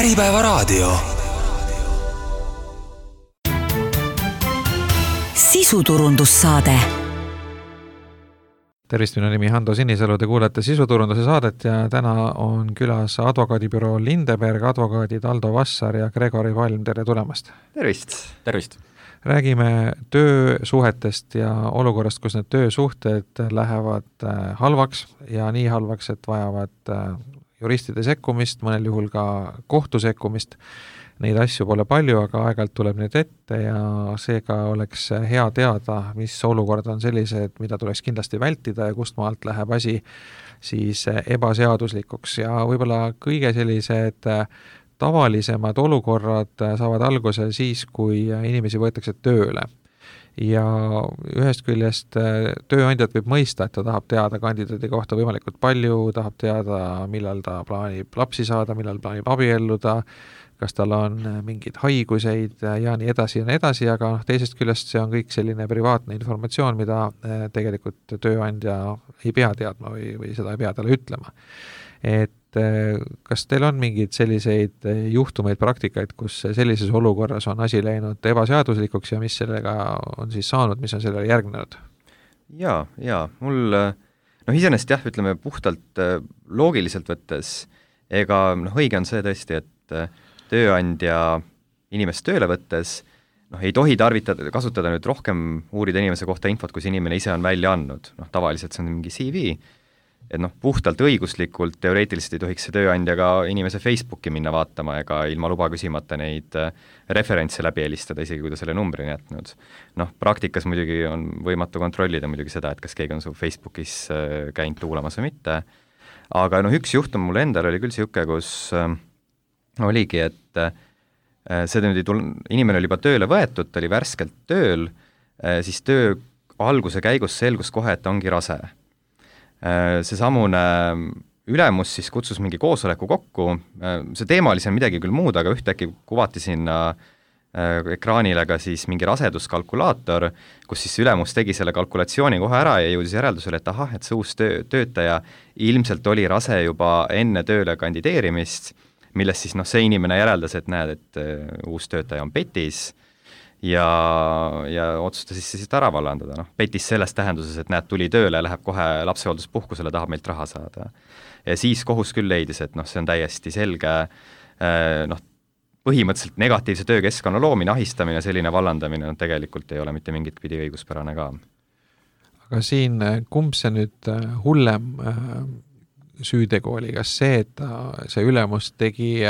Äripäevaraadio. Sisuturundussaade. Tervist, minu nimi Hando Sinisalu, te kuulete Sisuturunduse saadet ja täna on külas advokaadibüroo Lindeberg advokaadid Aldo Vassar ja Gregori Valm, tere tulemast! Tervist! Räägime töösuhetest ja olukorrast, kus need töösuhted lähevad halvaks ja nii halvaks, et vajavad juristide sekkumist, mõnel juhul ka kohtu sekkumist. Neid asju pole palju, aga aeg-ajalt tuleb neid ette ja seega oleks hea teada, mis olukord on sellised, mida tuleks kindlasti vältida ja kust maalt läheb asi siis ebaseaduslikuks. Ja võib-olla kõige sellised tavalisemad olukorrad saavad alguse siis, kui inimesi võetakse tööle. Ja ühest küljest tööandjat võib mõista, et ta tahab teada kandidaadi kohta võimalikult palju, tahab teada, millal ta plaanib lapsi saada, millal plaanib abielluda, kas tal on mingeid haiguseid ja nii edasi, aga teisest küljest see on kõik selline privaatne informatsioon, mida tegelikult tööandja ei pea teadma või seda ei pea talle ütlema. Et kas teil on mingeid selliseid juhtumeid, praktikaid, kus sellises olukorras on asi läinud ebaseaduslikuks ja mis sellega on siis saanud, mis on sellele järgnenud? Jaa, mul iseenesest jah, ütleme puhtalt loogiliselt võttes, ega õige on see tõesti, et tööandja inimest tööle võttes ei tohi kasutada nüüd rohkem uurida inimese kohta infot, kui see inimene ise on välja andnud. Tavaliselt see on mingi CV, et puhtalt õiguslikult teoreetiliselt ei tohiks see tööandja ka inimese Facebooki minna vaatama ega ilma luba küsimata neid referentse läbi helistada, isegi kui ta selle numbrini jätnud. Praktikas muidugi on võimatu kontrollida muidugi seda, et kas keegi on su Facebookis käinud luulamas või mitte, aga üks juhtum mul endal oli küll siuke, kus oligi, et inimene oli juba tööle võetud, ta oli värskelt tööl, siis töö alguse käigus selgus kohe, et ta ongi rase. Seesamune ülemus siis kutsus mingi koosoleku kokku, see teema oli seal midagi küll muud, aga ühtäkki kuvati sinna ekraanile ka siis mingi raseduskalkulaator, kus siis ülemus tegi selle kalkulatsiooni kohe ära ja jõudis järeldusele, et ahah, et see uus töötaja ilmselt oli rase juba enne tööle kandideerimist, millest siis see inimene järeldas, et näed, et uus töötaja on petis ja otsustas siis ära vallandada. Petis selles tähenduses, et näed, tuli tööle, läheb kohe lapsehoolduspuhkusele, tahab meilt raha saada. Ja siis kohus küll leidis, et see on täiesti selge, põhimõtteliselt negatiivse töökeskkonna loomine, ahistamine, selline vallandamine tegelikult ei ole mitte mingit pidi õiguspärane ka. Aga siin kumb see nüüd hullem süütegu oli, kas see, et see ülemus tegi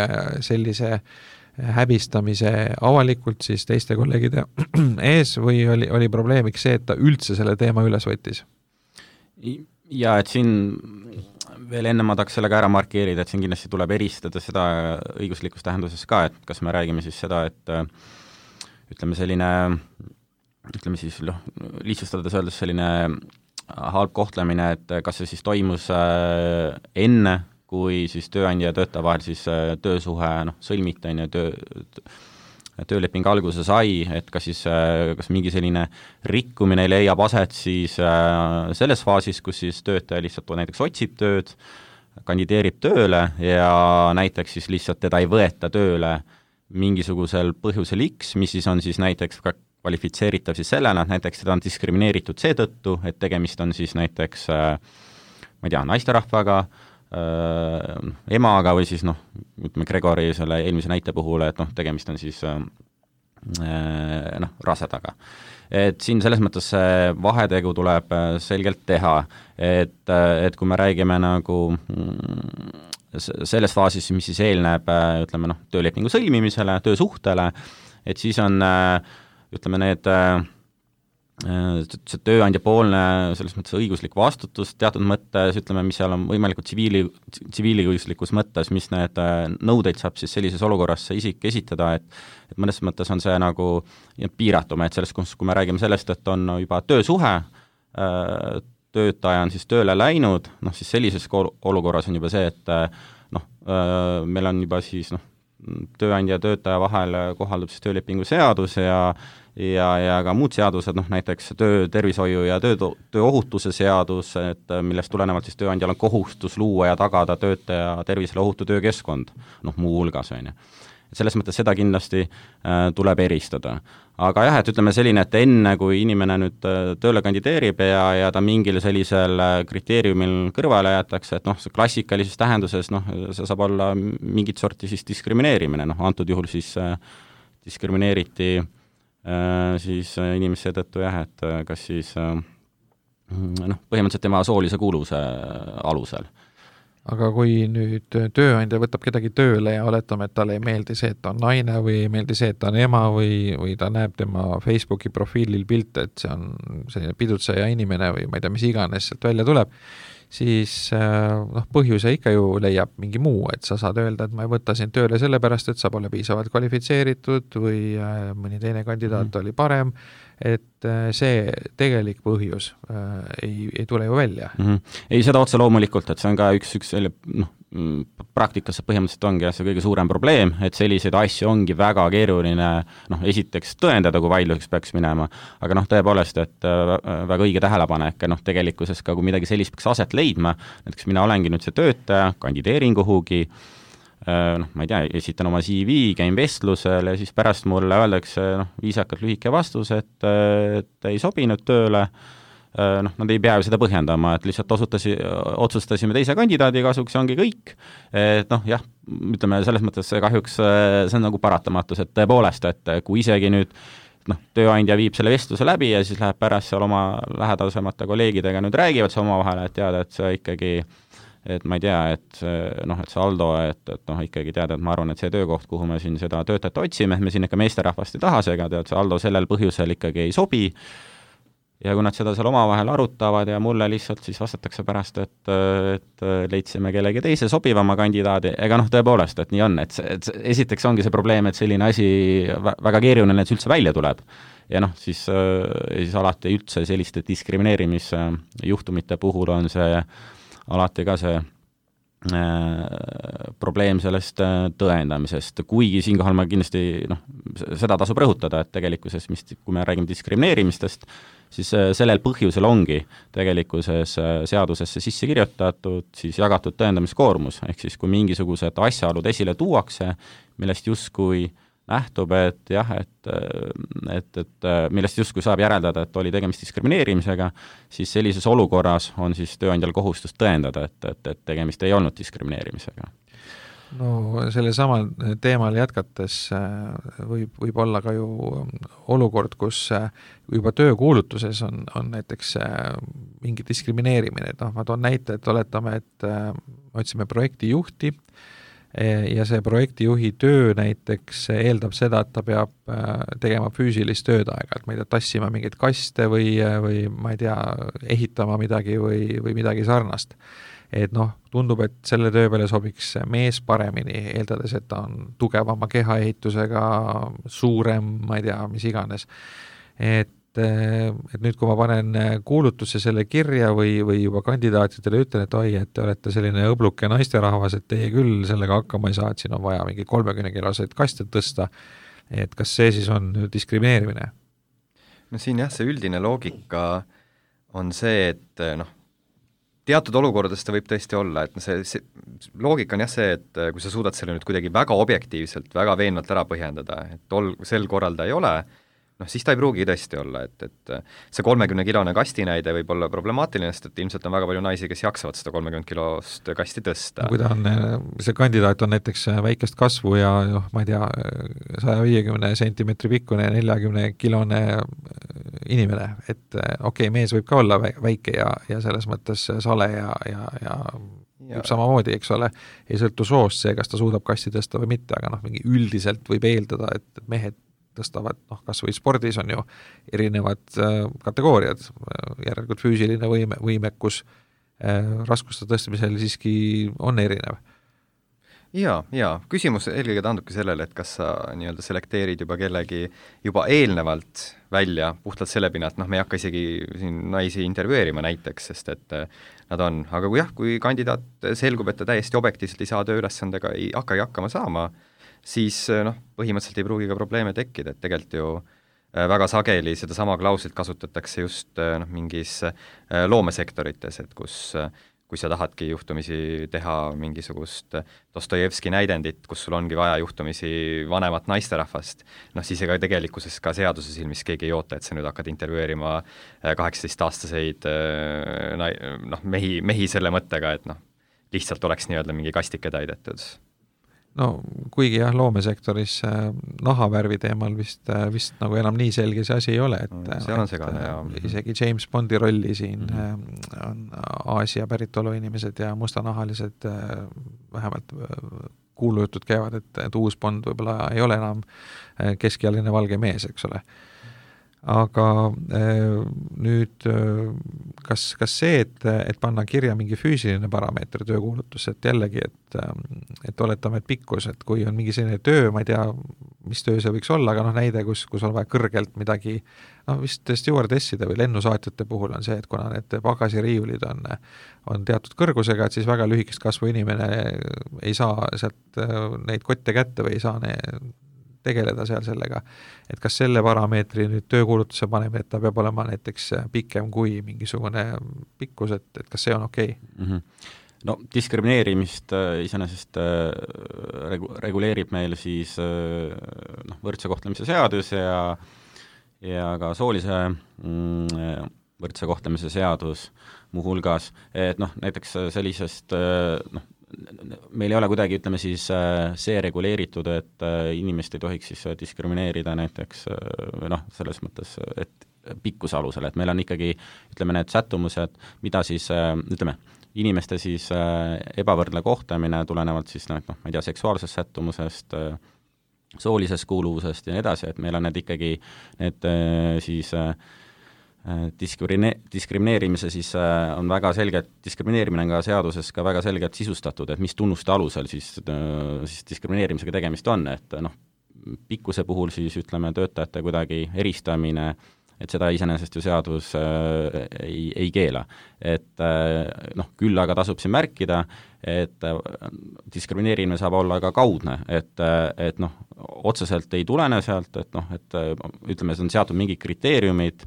sellise häbistamise avalikult siis teiste kolleegide ees või oli probleemiks see, et ta üldse selle teema üles võttis? Ja, et siin veel enne ma tahaks sellega ära markeerida, et siin kindlasti tuleb eristada seda õiguslikus tähenduses ka, et kas me räägime siis seda, et ütleme siis lihtsustades öeldes selline halb kohtlemine, et kas see siis toimus enne, kui siis tööandja ja töötaja vahel siis töösuhe sõlmiti ja tööleping alguse sai, et kas mingi selline rikkumine leiab aset siis selles faasis, kus siis töötaja lihtsalt näiteks otsib tööd, kandideerib tööle ja näiteks siis lihtsalt teda ei võeta tööle mingisugusel põhjusel X, mis siis on siis näiteks ka kvalifitseeritav siis sellena, et näiteks seda on diskrimineeritud seetõttu, et tegemist on siis näiteks, ma ei tea, naisterahvaga, emaga või siis ütleme Gregori selle eelmise näite puhul, et tegemist on siis rasedaga. Et siin selles mõttes vahetegu tuleb selgelt teha, et kui me räägime selles faasis, mis siis eelneb, ütleme töölepingu sõlmimisele, töösuhtele, et siis on ütleme need see tööandja poolne selles mõttes õiguslik vastutus teatud mõttes, ütleme, mis seal on võimalikult tsiviiliõiguslikus mõttes, mis need nõudeid saab siis sellises olukorras see isik esitada, et mõnes mõttes on see piiratum, et selles, kui me räägime sellest, et on juba töösuhe, töötaja on siis tööle läinud, siis sellises olukorras on juba see, et meil on juba siis tööandja ja töötaja vahel kohaldub siis töölepingu seadus ja ka muud seadused, näiteks töötervishoiu ja tööohutuse seadus, et millest tulenevalt siis tööandjal on kohustus luua ja tagada töötaja tervisele ohutu töökeskkond, muu hulgas, on ju. Selles mõttes seda kindlasti tuleb eristada. Aga jah, et ütleme selline, et enne, kui inimene nüüd tööle kandideerib ja ta mingil sellisel kriteeriumil kõrvale jätakse, et see klassikalises tähenduses, see saab olla mingit sorti siis diskrimineerimine, antud juhul siis diskrimineeriti siis inimese tõttu jah, et kas siis põhimõtteliselt tema soolise kuuluvuse alusel. Aga kui nüüd tööandja võtab kedagi tööle ja oletame, et talle ei meeldi see, et ta on naine või ei meeldi see, et ta on ema või ta näeb tema Facebooki profiilil pilte, et see on selline pidutseja inimene või ma ei tea, mis iganes sealt välja tuleb, siis põhjuse ikka ju leiab mingi muu, et sa saad öelda, et ma ei võta sind tööle sellepärast, et sa pole piisavalt kvalifitseeritud või mõni teine kandidaat oli parem, et see tegelik põhjus ei tule ju välja. Ei, seda otse loomulikult, et see on ka üks selle, praktikas põhimõtteliselt ongi see kõige suurem probleem, et selliseid asju ongi väga keeruline, esiteks tõendada, kui vaidluseks peaks minema, aga tõepoolest, et väga õige tähelepanek, tegelikkuses ka, kui midagi sellist peaks aset leidma, näiteks mina olengi nüüd see töötaja, kandideerin kuhugi, ma ei tea, esitan oma CV, käin vestlusel ja siis pärast mulle öeldakse viisakalt lühike vastus, et ei sobinud tööle, nad ei pea ju seda põhjendama, et lihtsalt otsustasime teise kandidaadi kasuks ja ongi kõik, et jah, ütleme selles mõttes kahjuks see on nagu paratamatus, et tõepoolest, et kui isegi nüüd tööandja viib selle vestluse läbi ja siis läheb pärast seal oma lähedasemate kolleegidega nüüd räägivad see omavahel, et teada, et see ikkagi et ma ei tea, et see Aldo, et ikkagi teada, et ma arvan, et see töökoht, kuhu me siin seda töötajat otsime, et me siin ikka meesterahvast ei taha segada, et see Aldo sellel põhjusel ikkagi ei sobi ja kui nad seda seal omavahel arutavad ja mulle lihtsalt siis vastatakse pärast, et leidsime kellegi teise sobivama kandidaadi, ega tõepoolest, et nii on, et esiteks ongi see probleem, et selline asi väga keeruline, et see üldse välja tuleb. Ja siis alati üldse selliste diskrimineerimisjuhtumite puhul on see alati ka see probleem sellest tõendamisest, kuigi siinkohal ma kindlasti seda tasub rõhutada, et tegelikkuses, kui me räägime diskrimineerimistest, siis sellel põhjusel ongi tegelikkuses seadusesse sisse kirjutatud siis jagatud tõendamiskoormus, ehk siis kui mingisugused asjaolud esile tuuakse, millest justkui nähtub, et jah, et millest justkui saab järeldada, et oli tegemist diskrimineerimisega, siis sellises olukorras on siis tööandjal kohustus tõendada, et tegemist ei olnud diskrimineerimisega. No selle samal teemal jätkates võib olla ka ju olukord, kus juba töökuulutuses on näiteks mingi diskrimineerimine, et ma toon näite, et oletame, et otsime projektijuhti ja see projektijuhi töö näiteks eeldab seda, et ta peab tegema füüsilist tööd aeg-ajalt, ma ei tea, tassima mingeid kaste või ma ei tea, ehitama midagi või midagi sarnast. Et tundub, et selle töö peale sobiks mees paremini, eeldades, et ta on tugevama kehaehitusega, suurem, ma ei tea, mis iganes. Et nüüd, kui ma panen kuulutusse selle kirja või juba kandidaatidele ütlen, et oi, et te olete selline õbluke naisterahvas, et teie küll sellega hakkama ei saa, et siin on vaja mingi 30-kiloseid kaste tõsta, et kas see siis on diskrimineerimine? No siin jah, see üldine loogika on see, et teatud olukordades ta võib tõesti olla, et see loogika on jah see, et kui sa suudad selle nüüd kuidagi väga objektiivselt, väga veenvalt ära põhjendada, et sel korral ta ei ole, siis ta ei pruugi tõesti olla, et see 30-kilone kasti näide võib olla problemaatiline, sest et ilmselt on väga palju naisi, kes jaksavad seda 30-kilost kasti tõsta. Kui ta on, see kandidaat on näiteks väikest kasvu ja ma ei tea, 150 sentimeetri pikkune 40-kilone inimene, et okei, mees võib ka olla väike ja selles mõttes sale ja samamoodi, eks ole, ei sõltu soost see, kas ta suudab kasti tõsta või mitte, aga mingi üldiselt võib eeldada, et mehed tõstavad, kas või spordis on ju erinevad kategooriad, järelikult füüsiline võimekus raskuste tõstmisel siiski on erinev. Ja küsimus eelkõige taandubki sellele, et kas sa nii-öelda selekteerid juba kellegi juba eelnevalt välja puhtalt selle pinnalt, me ei hakka isegi siin naisi intervjueerima näiteks, sest et nad on, aga kui kandidaat selgub, et ta täiesti objektiivselt ei saa tööülesandega, ei hakkagi hakkama saama, siis põhimõtteliselt ei pruugi ka probleeme tekkida, et tegelikult ju väga sageli sedasama klauslit kasutatakse just mingis loomesektorites, et kui sa tahadki juhtumisi teha mingisugust Dostojevski näidendit, kus sul ongi vaja juhtumisi vanemat naisterahvast, siis ega tegelikkuses ka seaduse silmis keegi ei oota, et sa nüüd hakkad intervjueerima 18-aastaseid mehi selle mõttega, et lihtsalt oleks nii-öelda mingi kastike täidetud. No kuigi jah, loomesektoris nahavärvi teemal vist nagu enam nii selge see asi ei ole, et seal on segane, ja isegi James Bondi rolli siin on Aasia päritolu inimesed ja mustanahalised vähemalt kuulujutud käivad, et uus Bond võib-olla ei ole enam keskealine valge mees, eks ole. Aga nüüd kas see, et panna kirja mingi füüsiline parameeter töökuulutus, et jällegi, et oletame, et pikkus, et kui on mingi selline töö, ma ei tea, mis töö see võiks olla, aga näide, kus on vaja kõrgelt midagi, vist stewardesside või lennusaatjate puhul on see, et kuna need pagasiriiulid on teatud kõrgusega, et siis väga lühikest kasvu inimene ei saa sealt neid kotte kätte või ei saa tegeleda seal sellega, et kas selle parameetri nüüd töökuulutuse paneme, et ta peab olema näiteks pikem kui mingisugune pikkus, et kas see on okei? No diskrimineerimist iseenesest reguleerib meil siis võrdse kohtlemise seadus ja ka soolise võrdse kohtlemise seadus muuhulgas, et näiteks sellisest meil ei ole kuidagi, ütleme siis, see reguleeritud, et inimest ei tohiks siis diskrimineerida näiteks selles mõttes, et pikkuse alusel, et meil on ikkagi, ütleme, need sättumused, mida siis, ütleme, inimeste siis ebavõrdne kohtlemine tulenevalt siis, ma ei tea, seksuaalsest sättumusest, soolisest kuuluvusest ja nii edasi, et meil on need ikkagi, need siis diskrimineerimise siis on väga selgelt, diskrimineerimine on ka seaduses ka väga selgelt sisustatud, et mis tunnuste alusel siis diskrimineerimisega tegemist on, et pikkuse puhul siis ütleme töötajate kuidagi eristamine, et seda iseenesest ju seadus ei keela. Et küll aga tasub siin märkida, et diskrimineerimine saab olla ka kaudne, et otseselt ei tulene sealt, et ütleme, see on seatud mingid kriteeriumid,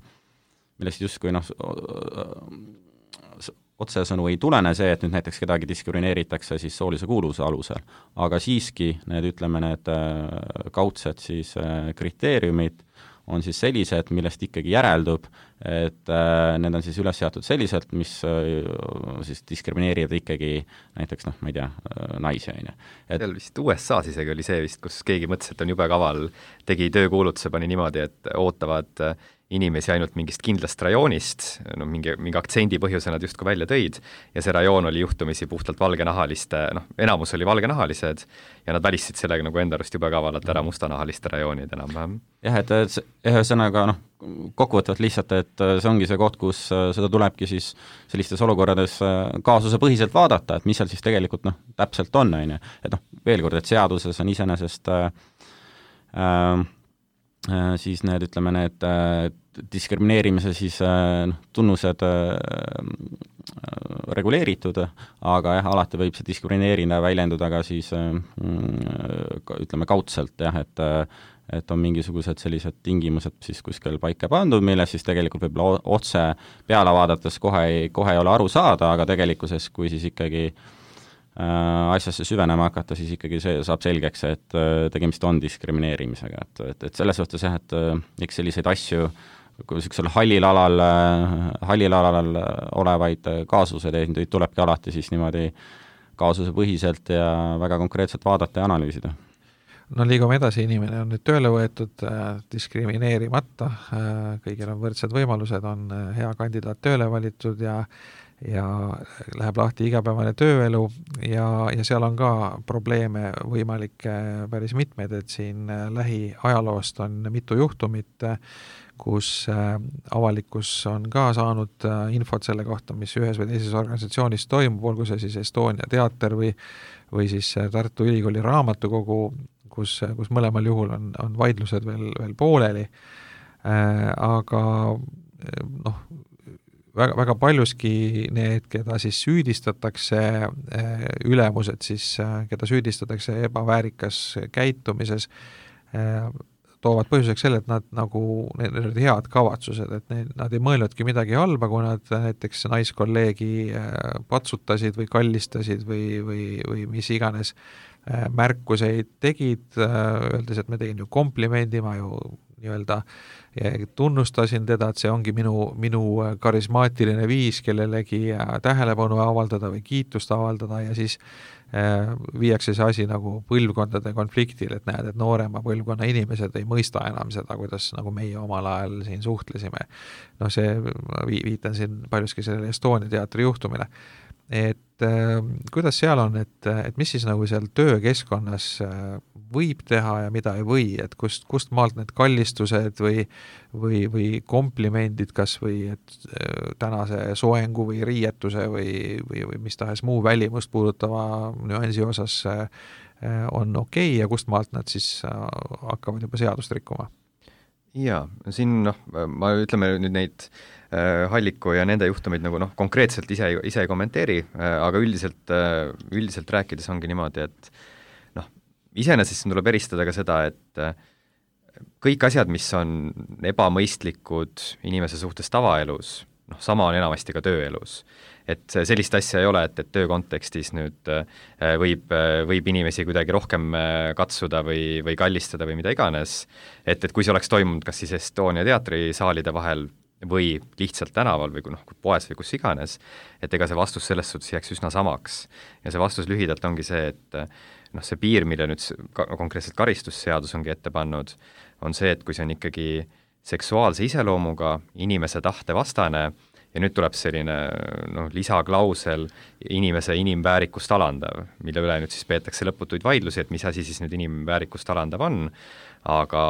millest justkui otsesõnu ei tulene see, et nüüd näiteks kedagi diskrimineeritakse siis soolise kuuluvuse alusel, aga siiski need kaudsed siis kriteeriumid on siis sellised, millest ikkagi järeldub, et need on siis üles seatud selliselt, mis siis diskrimineerivad ikkagi näiteks, ma ei tea, naisi, on ju. Seal vist USA-s isegi oli see vist, kus keegi mõtles, et on jube kaval, tegi töökuulutuse, pani niimoodi, et ootavad inimesi ainult mingist kindlast rajoonist, mingi aktsendi põhjuse nad justkui välja tõid, ja see rajoon oli juhtumisi puhtalt valgenahaliste, enamus oli valgenahalised, ja nad välistasid sellega nagu enda arust jube kavalalt ära mustanahaliste rajoonid enam-vähem. Jah, et ühesõnaga kokkuvõtvalt lihtsalt, et see ongi see koht, kus seda tulebki siis sellistes olukorrades kaasuse põhiselt vaadata, et mis seal siis tegelikult täpselt on, et veel kord, et seaduses on iseenesest siis need, ütleme, need diskrimineerimise siis tunnused reguleeritud, aga jah, alati võib see diskrimineerida väljenduda ka siis ütleme kaudselt, jah, et on mingisugused sellised tingimused siis kuskil paika pandud, milles siis tegelikult võib-olla otse peale vaadates kohe ei ole aru saada, aga tegelikkuses, kui siis ikkagi asjasse süvenema hakata, siis ikkagi see saab selgeks, et tegemist on diskrimineerimisega, et selles suhtes jah, et eks selliseid asju, kui sellisel hallil alal olevaid kaasuseid tulebki alati siis niimoodi kaasuse põhiselt ja väga konkreetselt vaadata ja analüüsida. Liigume edasi, inimene on nüüd tööle võetud diskrimineerimata, kõigil on võrdsed võimalused, on hea kandidaat tööle valitud ja läheb lahti igapäevane tööelu ja seal on ka probleeme võimalik päris mitmed, et siin lähiajaloost on mitu juhtumit, kus avalikkus on ka saanud infot selle kohta, mis ühes või teises organisatsioonis toimub, olgu see siis Estonia teater või siis Tartu Ülikooli raamatukogu, kus mõlemal juhul on vaidlused veel pooleli, aga väga paljuski need, keda siis süüdistatakse, ülemused siis, keda süüdistatakse ebaväärikas käitumises, toovad põhjuseks selle, et nad nagu, need olid head kavatsused, et nad ei mõelnudki midagi halba, kui nad näiteks naiskolleegi patsutasid või kallistasid või mis iganes märkuseid tegid, öeldes, et me tegin ju komplimendi, ma ju nii-öelda tunnustasin teda, et see ongi minu karismaatiline viis kellelegi tähelepanu avaldada või kiitust avaldada ja siis viiakse see asi nagu põlvkondade konfliktil, et näed, et noorema põlvkonna inimesed ei mõista enam seda, kuidas nagu meie omal ajal siin suhtlesime. No see, viitan siin paljuski sellele Estonia teatri juhtumile. Et kuidas seal on, et mis siis nagu seal töökeskkonnas võib teha ja mida ei või, et kust maalt need kallistused või komplimendid kas või et tänase soengu või riietuse või mis tahes muu välimust puudutava nüansi osas on okei ja kust maalt nad siis hakkavad juba seadust rikkuma? Jaa, siin ma ütleme nüüd neid Halliku ja nende juhtumeid nagu konkreetselt ise ei kommenteeri, aga üldiselt rääkides ongi niimoodi, et iseenesest siin tuleb eristada ka seda, et kõik asjad, mis on ebamõistlikud inimese suhtes tavaelus, sama on enamasti ka tööelus. Et sellist asja ei ole, et töö kontekstis nüüd võib inimesi kuidagi rohkem katsuda või kallistada või mida iganes, et kui see oleks toimunud kas siis Estonia teatrisaalide vahel või lihtsalt tänaval või poes või kus iganes, et ega see vastus selles suhtes jääks üsna samaks. Ja see vastus lühidalt ongi see, et see piir, mille nüüd konkreetselt karistusseadus ongi ette pannud, on see, et kui see on ikkagi seksuaalse iseloomuga, inimese tahte vastane ja nüüd tuleb selline lisaklausel inimese inimväärikust alandav, mille üle nüüd siis peetakse lõputuid vaidlusi, et mis asi siis nüüd inimväärikust alandav on, aga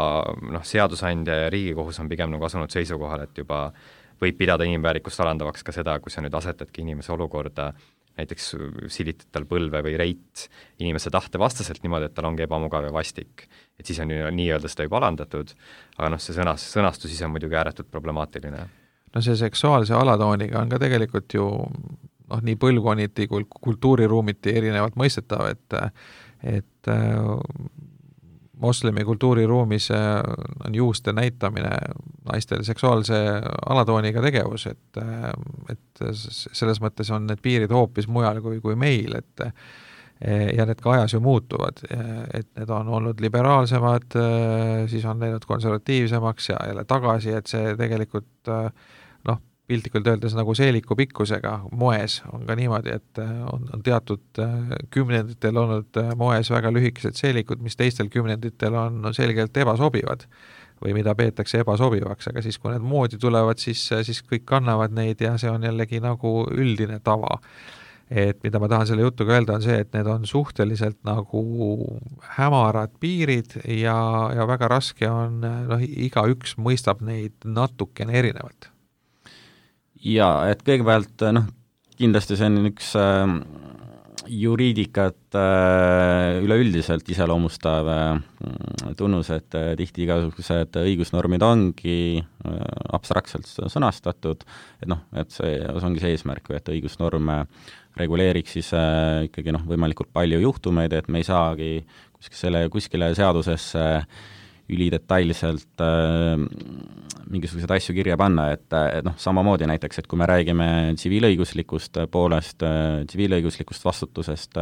seadusandja ja Riigikohus on pigem asunud seisukohal, et juba võib pidada inimväärikust alandavaks ka seda, kui sa nüüd asetadki inimese olukorda, näiteks silitad tal põlve või reit inimese tahte vastaselt niimoodi, et tal ongi ebamugav ja vastik. Et siis on nii-öelda seda juba alandatud, aga see sõnastus ise on muidugi ääretult problemaatiline. No see seksuaalse alatooniga on ka tegelikult ju nii põlvkonniti kui kultuuriruumiti erinevalt mõistetav, et moslemi kultuuriruumis on juuste näitamine naistel seksuaalse alatooniga tegevus, et selles mõttes on need piirid hoopis mujal kui meil, ja need ka ajas ju muutuvad, et need on olnud liberaalsemad, siis on läinud konservatiivsemaks ja jälle tagasi, et see tegelikult piltlikult öeldes nagu seeliku pikkusega moes on ka niimoodi, et on teatud kümnenditel olnud moes väga lühikesed seelikud, mis teistel kümnenditel on selgelt ebasobivad või mida peetakse ebasobivaks, aga siis kui need moodi tulevad, siis kõik kannavad neid ja see on jällegi nagu üldine tava. Et mida ma tahan selle jutuga öelda on see, et need on suhteliselt nagu hämarad piirid ja väga raske on, igaüks mõistab neid natukene erinevalt. Ja, et kõigepealt kindlasti see on üks juriidikat üleüldiselt iseloomustav tunnus, et tihti igasugused õigusnormid ongi abstraktselt sõnastatud, et see ongi see eesmärk, et õigusnorm reguleeriks siis ikkagi võimalikult palju juhtumeid, et me ei saagi kuskile seadusesse ülidetailselt mingisuguseid asju kirja panna, et samamoodi näiteks, et kui me räägime tsiviilõiguslikust poolest, tsiviilõiguslikust vastutusest,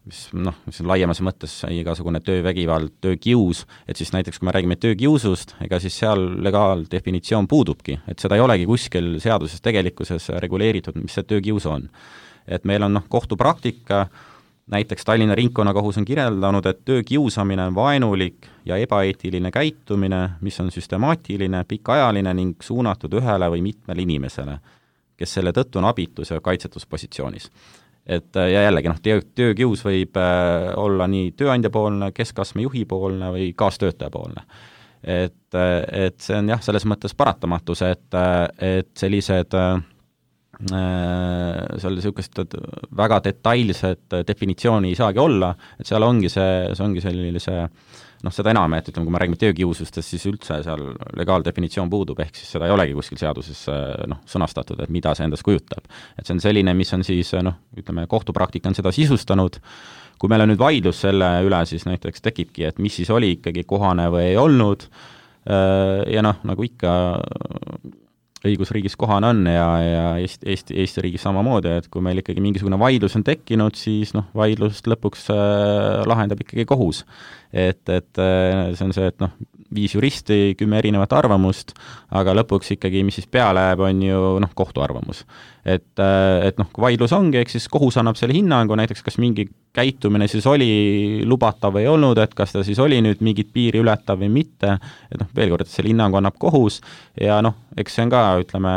mis on laiemas mõttes igasugune töövägivald, töökius, et siis näiteks kui me räägime töökiusust, ega siis seal legaaldefinitsioon puudubki, et seda ei olegi kuskil seaduses tegelikkuses reguleeritud, mis see töökius on. Et meil on kohtupraktika, näiteks Tallinna ringkonnakohus on kirjeldanud, et töökiusamine on vaenulik ja ebaeetiline käitumine, mis on süstemaatiline, pikaajaline ning suunatud ühele või mitmele inimesele, kes selle tõttu on abitus ja kaitsetuspositsioonis. Et ja jällegi, töökius võib olla nii tööandjapoolne, keskastme juhipoolne või kaastöötajapoolne. Et see on selles mõttes paratamatus, et sellised seal niisugust väga detailset definitsiooni ei saagi olla, et seal ongi see sellise noh, seda enam, et ütleme, kui me räägime töökiusustest, siis üldse seal legaaldefinitsioon puudub, ehk siis seda ei olegi kuskil seaduses sõnastatud, et mida see endast kujutab. Et see on selline, mis on siis, noh, ütleme, kohtupraktika on seda sisustanud, kui meil on nüüd vaidlus selle üle, siis näiteks tekibki, et mis siis oli ikkagi kohane või ei olnud, ja noh, nagu ikka õigusriigis kohane on ja Eesti riigis samamoodi, et kui meil ikkagi mingisugune vaidlus on tekkinud, siis noh, vaidlust lõpuks lahendab ikkagi kohus. Et see on see, et noh, 5 juristi, 10 erinevat arvamust, aga lõpuks ikkagi, mis siis peale jääb, on ju noh, kohtu arvamus. Et noh, kui vaidlus ongi, eks siis kohus annab selle hinnangu, näiteks kas mingi käitumine siis oli lubatav või ei olnud, et kas ta siis oli nüüd mingit piiri ületav või mitte, et noh, veel kord, et selle hinnangu annab kohus ja noh, eks see on ka, ütleme,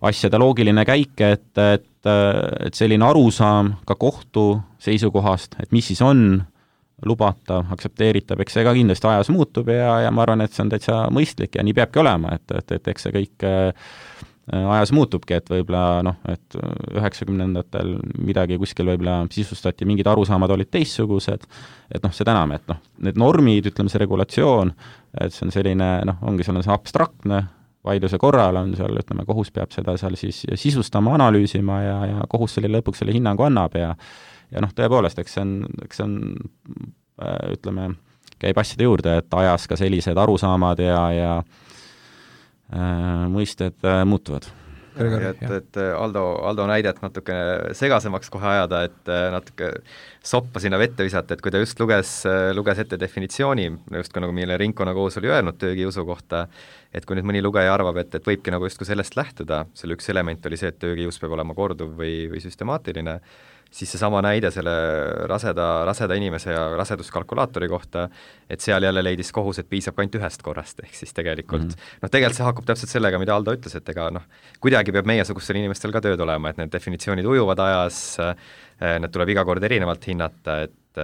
asjade loogiline käik, et selline arusaam ka kohtu seisukohast, et mis siis on lubatav, aktsepteeritav, eks see ka kindlasti ajas muutub ja ma arvan, et see on täitsa mõistlik ja nii peabki olema, et eks see kõik ajas muutubki, et võib-olla noh, et 90-ndatel midagi kuskil võib-olla sisustati, mingid arusaamad olid teistsugused, et noh, see enam, et noh, need normid, ütleme see regulatsioon, et see on selline, noh, ongi seal on see abstraktne, vaidluse korral on seal, ütleme, kohus peab seda seal siis sisustama, analüüsima ja kohus selle lõpuks selle hinnangu annab ja noh, tõepoolest, eks see on ütleme, käib asjade juurde, et ajas ka sellised arusaamad ja mõisted muutuvad. Et Aldo näidet natuke segasemaks kohe ajada, et natuke soppa sinna vette visata, et kui ta just luges ette definitsiooni, just ka nagu meile ringkonnakohus oli öelnud töökiusu kohta, et kui nüüd mõni lugeja arvab, et võibki nagu justkui sellest lähtuda, selle üks element oli see, et töökius peab olema korduv või süstemaatiline, siis seesama näide selle raseda inimese ja raseduskalkulaatori kohta, et seal jälle leidis kohus, et piisab ka ainult ühest korrast, ehk siis tegelikult tegelikult see haakub täpselt sellega, mida Aldo ütles, et ega noh, kuidagi peab meiesugustel inimestel ka tööd olema, et need definitsioonid ujuvad ajas, need tuleb iga kord erinevalt hinnata, et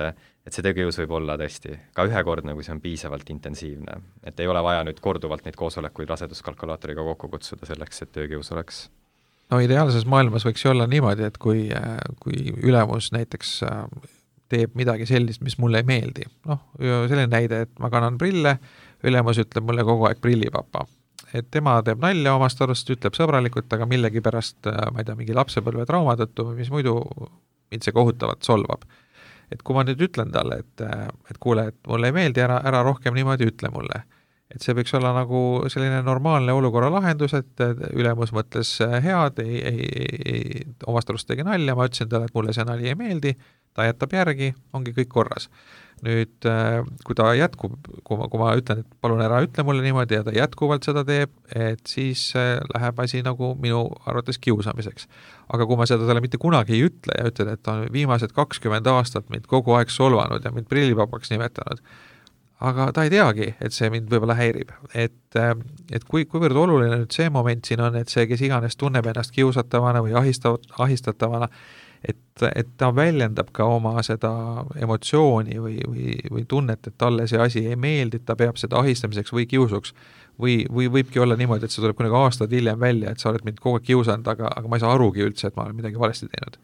see töökius võib olla tõesti ka ühekordne, kui see on piisavalt intensiivne. Et ei ole vaja nüüd korduvalt neid koosolekuid raseduskalkulaatoriga kokku kutsuda selleks, et töökius oleks. No ideaalses maailmas võiks ju olla niimoodi, et kui ülemus näiteks teeb midagi sellist, mis mulle ei meeldi. Noh, selline näide, et ma kannan prille, ülemus ütleb mulle kogu aeg prillipapa. Et tema teeb nalja omast arust, ütleb sõbralikult, aga millegi pärast, ma ei tea, mingi lapsepõlve trauma tõttu, mis muidu mind see kohutavalt solvab. Et kui ma nüüd ütlen talle, et kuule, et mulle ei meeldi, ära rohkem niimoodi ütle mulle. Et see võiks olla nagu selline normaalne olukorra lahendus, et ülemus mõtles head, omast arust tegi nalja, ma ütlesin talle, et mulle see nali ei meeldi, ta jätab järgi, ongi kõik korras. Nüüd, kui ta jätkub, kui ma ütlen, et palun ära ütle mulle niimoodi ja ta jätkuvalt seda teeb, et siis läheb asi nagu minu arvates kiusamiseks. Aga kui ma seda talle mitte kunagi ei ütle ja ütlen, et ta on viimased 20 aastat mind kogu aeg solvanud ja mind prillipapaks nimetanud, aga ta ei teagi, et see mind võib-olla häirib. Et kuivõrd oluline nüüd see moment siin on, et see, kes iganes tunneb ennast kiusatavana või ahistatavana, et ta väljendab ka oma seda emotsiooni või tunnet, et talle see asi ei meeldi, et ta peab seda ahistamiseks või kiusuks. Või võibki olla niimoodi, et see tuleb kunagi aastad hiljem välja, et sa oled mind kogu aeg kiusanud, aga ma ei saa arugi üldse, et ma olen midagi valesti teinud.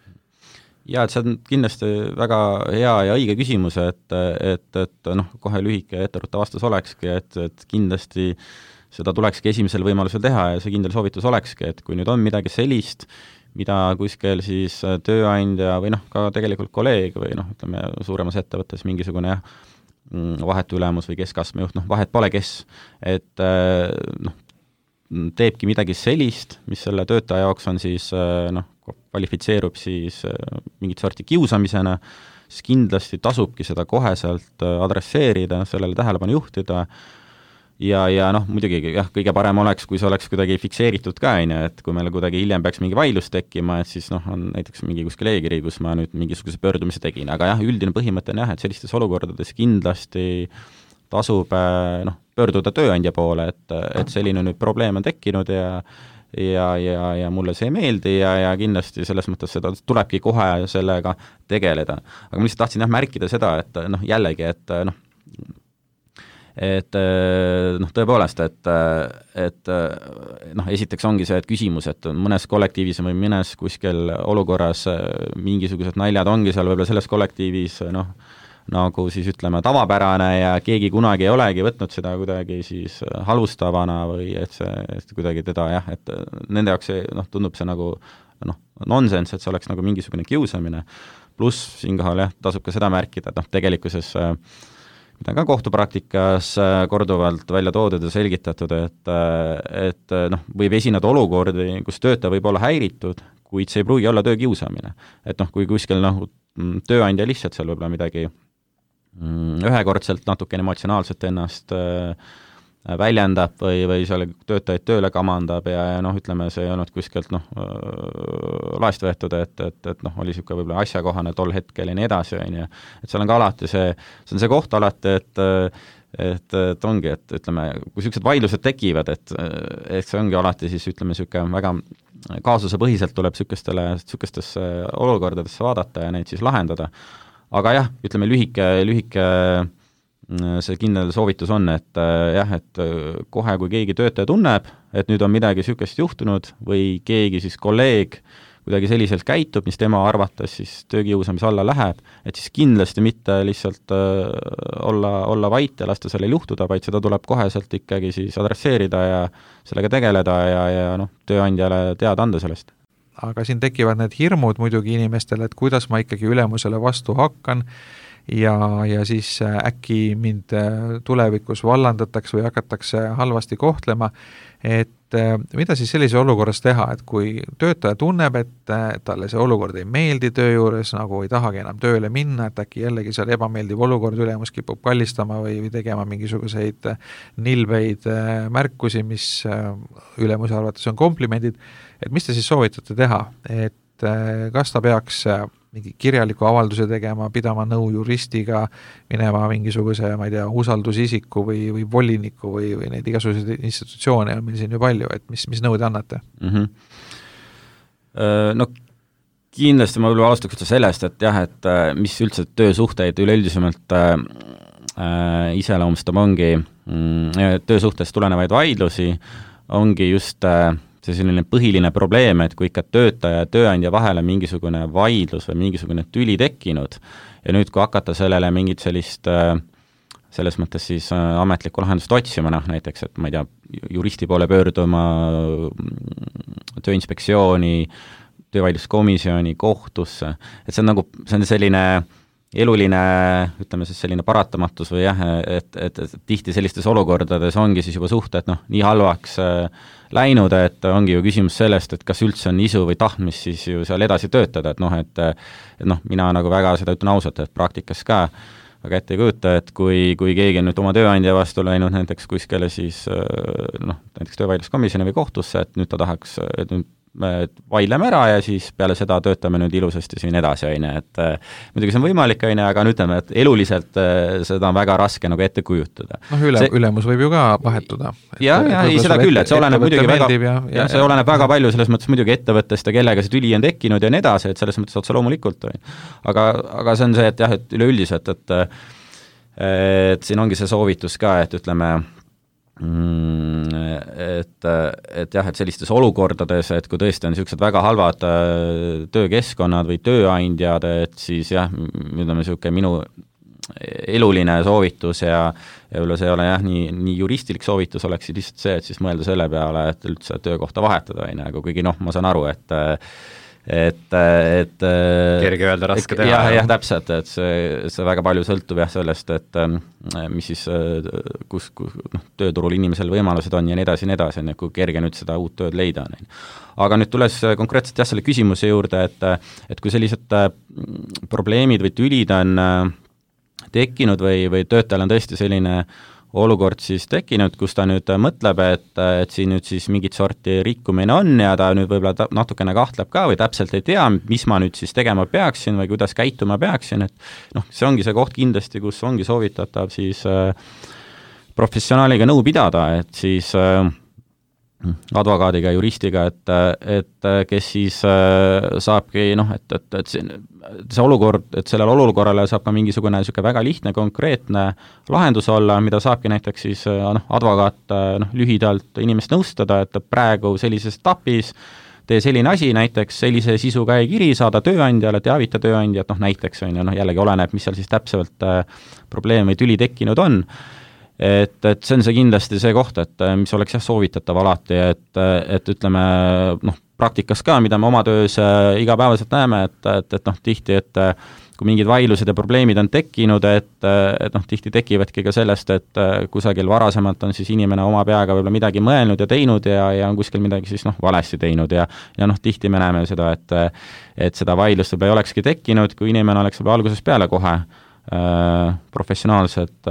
Ja, et see on kindlasti väga hea ja õige küsimus, et noh, kohe lühike etteruttav vastus olekski, et kindlasti seda tulekski esimesel võimalusel teha ja see kindel soovitus olekski, et kui nüüd on midagi sellist, mida kuskil siis tööandja või noh, ka tegelikult kolleeg või noh, ütleme suuremas ettevõttes mingisugune vahetu ülemus või keskastme juht, noh, vahet pole kes, et noh, teebki midagi sellist, mis selle töötaja jaoks on siis noh, kvalifitseerub siis mingit sorti kiusamisena, siis kindlasti tasubki seda koheselt adresseerida, sellele tähelepanu juhtida ja noh, muidugi jah, kõige parem oleks, kui see oleks kuidagi fikseeritud ka, et kui meil kuidagi hiljem peaks mingi vaidlus tekkima, et siis noh, on näiteks mingi kuskil e-kiri, kus ma nüüd mingisuguse pöördumise tegin, aga jah, üldine põhimõte on jah, et sellistes olukordades kindlasti tasub noh, pöörduda tööandja poole, et selline nüüd probleem on tekkinud ja mulle see ei meeldi ja kindlasti selles mõttes seda tulebki kohe sellega tegeleda. Aga ma lihtsalt tahtsin märkida seda, et noh, jällegi, et tõepoolest, et noh, esiteks ongi see, et küsimus, et mõnes kollektiivis või mõnes kuskil olukorras mingisugused naljad ongi seal võib-olla selles kollektiivis noh, nagu siis ütleme tavapärane ja keegi kunagi ei olegi võtnud seda kuidagi siis halvustavana või et kuidagi teda jah, et nende jaoks tundub see nagu nonsense, et see oleks nagu mingisugune kiusamine, pluss siinkohal jah, tasub ka seda märkida, et tegelikkuses mida on ka kohtupraktikas korduvalt välja toodud ja selgitatud, et võib esineda olukordi, kus töötaja võib olla häiritud, kuid see ei pruugi olla töökiusamine. Et kui kuskil tööandja lihtsalt seal võib-olla midagi ühekordselt natukene emotsionaalselt ennast väljendab või seal töötajaid tööle kamandab ja ütleme, see ei olnud kuskilt laest võetud, et oli niisugune võib-olla asjakohane tol hetkel ja nii edasi, et seal on ka alati see on see koht alati, et ongi, et ütleme, kui niisugused vaidlused tekivad, et see ongi alati siis ütleme niisugune väga kaasusepõhiselt tuleb niisugustesse olukordadesse vaadata ja neid siis lahendada, aga jah, ütleme lühike see kindel soovitus on, et jah, et kohe, kui keegi töötaja tunneb, et nüüd on midagi niisugust juhtunud või keegi siis kolleeg kuidagi selliselt käitub, mis tema arvates siis töökiusamise alla läheb, et siis kindlasti mitte lihtsalt olla vait ja lasta sellel juhtuda, vaid seda tuleb koheselt ikkagi siis adresseerida ja sellega tegeleda ja tööandjale teada anda sellest. Aga siin tekivad need hirmud muidugi inimestele, et kuidas ma ikkagi ülemusele vastu hakkan, ja siis äkki mind tulevikus vallandatakse või hakatakse halvasti kohtlema, et mida siis sellise olukorras teha, et kui töötaja tunneb, et talle see olukord ei meeldi töö juures, nagu ei tahagi enam tööle minna, et äkki jällegi seal ebameeldiv olukord ülemus kipub kallistama või tegema mingisuguseid nilbeid märkusi, mis ülemuse arvates on komplimendid, et mis te siis soovitate teha, et kas ta peaks mingi kirjaliku avalduse tegema, pidama nõu juristiga, minema mingisuguse, ma ei tea, usaldusisiku või voliniku või neid igasuguseid institutsioone on meil siin ju palju, et mis nõu te annate? Kindlasti ma võib-olla alustaks sellest, et jah, et mis üldse töösuhteid üleüldisemalt iseloomustab ongi töösuhtest tulenevaid vaidlusi, ongi just see selline põhiline probleem, et kui ikka töötaja ja tööandja vahele mingisugune vaidlus või mingisugune tüli tekkinud ja nüüd, kui hakata sellele mingit sellist selles mõttes siis ametlikku lahendust otsima, näiteks, et ma ei tea, juristi poole pöörduma, tööinspektsiooni, töövaidluskomisjoni, kohtusse, et see on selline eluline, ütleme siis selline paratamatus või jah, et tihti sellistes olukordades ongi siis juba suhted nii halvaks läinud, et ongi ju küsimus sellest, et kas üldse on isu või tahtmist siis ju seal edasi töötada, et mina nagu väga seda ütlen ausalt, et praktikas ka väga ette ei kujuta, et kui keegi on nüüd oma tööandja vastu läinud näiteks kuskile siis näiteks töövaidluskomisjoni või kohtusse, et nüüd ta tahaks, et nüüd me vaidleme ära ja siis peale seda töötame nüüd ilusasti siin edasi, et muidugi see on võimalik, aga ütleme, et eluliselt seda on väga raske nagu ette kujutada. Ülemus võib ju ka vahetuda. Ja seda küll, et see oleneb muidugi see oleneb väga palju selles mõttes muidugi ettevõttest ja kellega see tüli on tekkinud ja nii edasi, et selles mõttes otse loomulikult. Aga see on see, et jah, et üleüldiselt, et siin ongi see soovitus ka, et ütleme, et jah, et sellistes olukordades, et kui tõesti on niisugused väga halvad töökeskkonnad või tööandjad, et siis jah, ütleme niisugune minu eluline soovitus ja võib-olla see ei ole jah, nii juristilik soovitus oleks lihtsalt see, et siis mõelda selle peale, et üldse töökohta vahetada, aga kuigi ma saan aru, et kerge öelda, raske teha. Jah, täpselt, et see väga palju sõltub jah sellest, et mis siis, kus tööturul inimesel võimalused on ja nii edasi, kui kerge nüüd seda uut tööd leida on. Aga nüüd tules konkreetselt jah selle küsimuse juurde, et kui sellised probleemid või tülid on tekkinud või töötajal on tõesti selline olukord siis tekkinud, kus ta nüüd mõtleb, et siin nüüd siis mingit sorti rikkumine on ja ta nüüd võib-olla natukene kahtleb ka või täpselt ei tea, mis ma nüüd siis tegema peaksin või kuidas käituma peaksin, et see ongi see koht kindlasti, kus ongi soovitatav siis professionaaliga nõu pidada, et siis advokaadiga, juristiga, et kes siis saabki, et see olukord, et sellele olukorrale saab ka mingisugune väga lihtne, konkreetne lahendus olla, mida saabki näiteks siis advokaat lühidalt inimest nõustada, et praegu sellises etapis tee selline asi, näiteks sellise sisuga e-kiri, saada tööandjale, teavita tööandjat, näiteks on ju, jällegi oleneb, mis seal siis täpselt probleem või tüli tekkinud on. Et see on see kindlasti see koht, et mis oleks soovitatav alati, et ütleme, praktikas ka, mida me oma töös igapäevaselt näeme, et tihti, et kui mingid vaidlused ja probleemid on tekkinud, et tihti tekivadki ka sellest, et kusagil varasemalt on siis inimene oma peaga võib-olla midagi mõelnud ja teinud ja on kuskil midagi siis valesti teinud ja tihti me näeme seda, et seda vaidlust võib-olla ei olekski tekkinud, kui inimene oleks võib-olla algusest peale kohe professionaalselt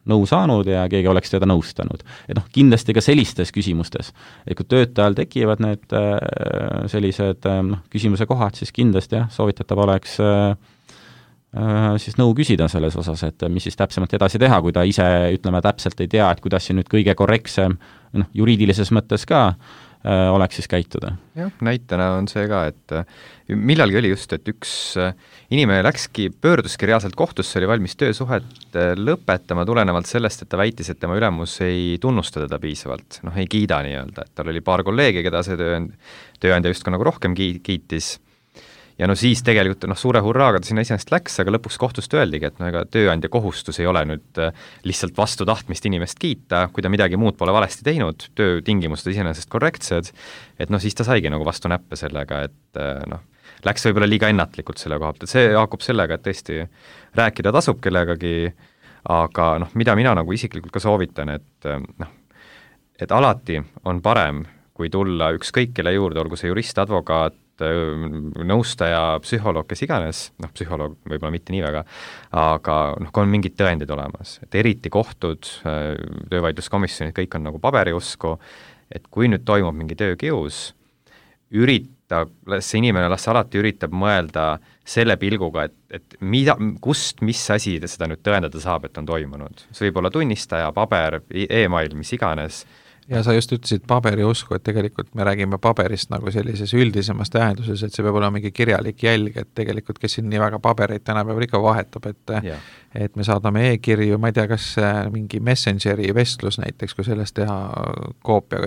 nõu saanud ja keegi oleks teda nõustanud. Et kindlasti ka sellistes küsimustes, et kui töötajal tekivad need sellised küsimuse kohad, siis kindlasti soovitatav oleks siis nõu küsida selles osas, et mis siis täpsemalt edasi teha, kui ta ise, ütleme, täpselt ei tea, et kuidas siin nüüd kõige korrektsem, juriidilises mõttes ka oleks siis käituda. Jah, näitena on see ka, et millalgi oli just, et üks inimene pöörduski reaalselt kohtusse, oli valmis töösuhet lõpetama tulenevalt sellest, et ta väitis, et tema ülemus ei tunnusta teda piisavalt, ei kiida nii-öelda, et tal oli paar kolleegi, keda see tööandja just ka nagu rohkem kiitis. Ja siis tegelikult suure hurraaga ta sinna iseenesest läks, aga lõpuks kohtust öeldigi, et ega tööandja kohustus ei ole nüüd lihtsalt vastu tahtmist inimest kiita, kui ta midagi muud pole valesti teinud, töötingimused iseenesest korrektsed, et siis ta saigi nagu vastu näppe sellega, et läks võib-olla liiga ennatlikult selle koha pealt, et see haakub sellega, et tõesti rääkida tasub kellegagi, aga mida mina nagu isiklikult ka soovitan, et alati on parem, kui tulla ükskõik kelle juurde, olgu see jurist, advokaat, nõustaja, psühholoog, kes iganes, psühholoog võib-olla mitte nii väga, aga kui on mingid tõendid olemas, et eriti kohtud, töövaidluskomisjonid, kõik on nagu paberiusku, et kui nüüd toimub mingi töökius, see inimene alati üritab mõelda selle pilguga, et kust, mis asi seda nüüd tõendada saab, et on toimunud. See võib olla tunnistaja, paber, e-mail, mis iganes. Ja sa just ütlesid paberiusku, et tegelikult me räägime paberist nagu sellises üldisemas tähenduses, et see peab olema mingi kirjalik jälg, et tegelikult, kes siin nii väga pabereid tänapäeval ikka vahetab, et me saadame e-kirju, ma ei tea, kas mingi Messengeri vestlus näiteks, kui sellest teha koopia